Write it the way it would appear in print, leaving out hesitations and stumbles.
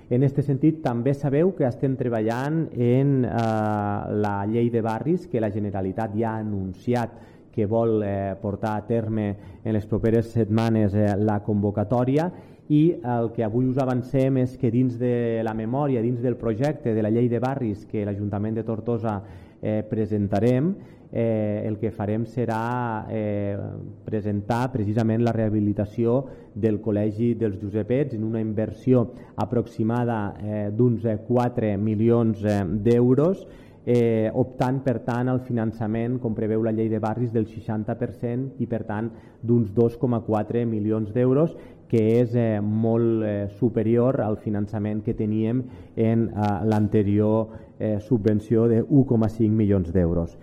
En aquest sentit, també sabeu que estem treballant en la llei de barris, que la Generalitat ja ha anunciat que vol portar a terme en les properes setmanes la convocatòria, i el que avui us avancem és que dins de la memòria, dins del projecte de la llei de barris que l'Ajuntament de Tortosa presentarem, el que farem serà presentar precisament la rehabilitació del Col·legi dels Josepets en una inversió aproximada d'uns 4 milions d'euros, optant per tant al finançament, com preveu la llei de barris, del 60% i per tant d'uns 2,4 milions d'euros, que és molt superior al finançament que teníem en l'anterior subvenció de 1,5 milions d'euros.